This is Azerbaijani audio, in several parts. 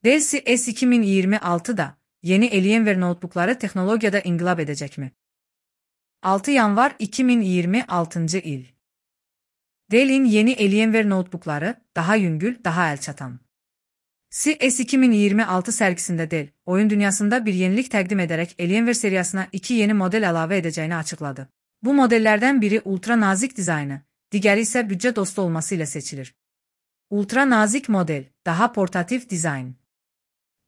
Dell CS2026'da yeni Alienware notebookları teknolojide inqilab edecekmi? 6 yanvar 2026 il. Dell'in yeni Alienware notebookları daha yüngül, daha el çatan. CES 2026 sergisinde Dell, oyun dünyasında bir yenilik təqdim ederek Alienware seriyasına 2 yeni model əlavə edeceğini açıkladı. Bu modellerden biri ultra nazik dizaynı, digəri ise bütçe dostu olması ile seçilir. Ultra nazik model, daha portatif dizayn.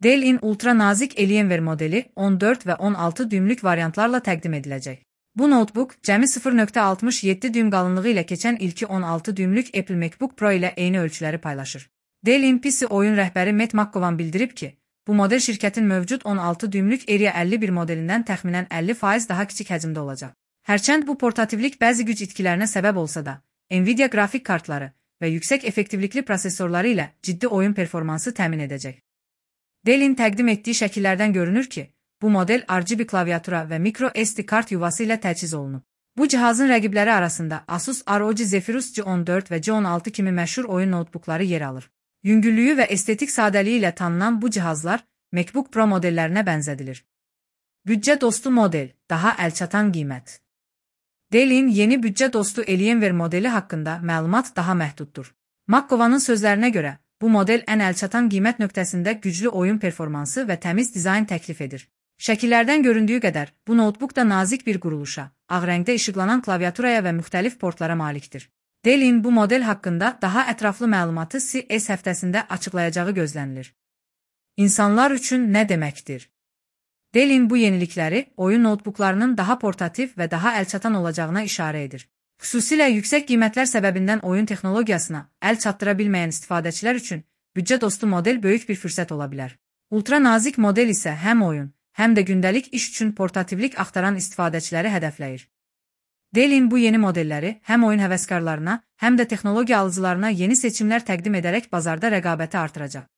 Dell'in ultra nazik Alienware modeli 14 ve 16 düymlük varyantlarla təqdim edilecek. Bu notebook, cəmi 0.67 düym qalınlığı ilə keçən ilki 16 düymlük Apple MacBook Pro ilə eyni ölçüləri paylaşır. Dell'in PC oyun rəhbəri Matt McGowan bildirib ki, bu model şirkətin mövcud 16 düymlük Area 51 modelindən təxminən 50% daha kiçik həcmdə olacaq. Hərçənd bu portativlik bəzi güc itkilərinə səbəb olsa da, Nvidia qrafik kartları və yüksək effektivlikli prosesorları ilə ciddi oyun performansı təmin edəcək. Dell'in təqdim etdiyi şəkillərdən görünür ki, bu model RGB klaviatura və micro SD kart yuvası ilə təchiz olunub. Bu cihazın rəqibləri arasında Asus ROG Zephyrus G14 və G16 kimi məşhur oyun notebookları yer alır. Yüngüllüyü və estetik sadəliyi ilə tanınan bu cihazlar MacBook Pro modellərinə bənzədilir. Bütçə dostu model, daha əlçatan qiymət. Dell'in yeni bütçə dostu Alienware modeli haqqında məlumat daha məhduddur. McGowan'ın sözlərinə görə, bu model ən əlçatan qiymət nöqtəsində güclü oyun performansı və təmiz dizayn təklif edir. Şəkillərdən göründüyü qədər, bu notebook da nazik bir quruluşa, ağ rəngdə işıqlanan klaviaturaya və müxtəlif portlara malikdir. Dell'in bu model haqqında daha ətraflı məlumatı CES həftəsində açıqlayacağı gözlənilir. İnsanlar üçün nə deməkdir? Dell'in bu yenilikləri oyun notebooklarının daha portativ və daha əlçatan olacağına işarə edir. Xüsusilə yüksək qiymətlər səbəbindən oyun texnologiyasına əl çatdıra bilməyən istifadəçilər üçün bütçə dostu model böyük bir fürsət ola bilər. Ultra nazik model isə həm oyun, həm də gündəlik iş üçün portativlik axtaran istifadəçiləri hədəfləyir. Dell'in bu yeni modelləri həm oyun həvəskarlarına, həm də texnologiya alıcılarına yeni seçimlər təqdim edərək bazarda rəqabəti artıracaq.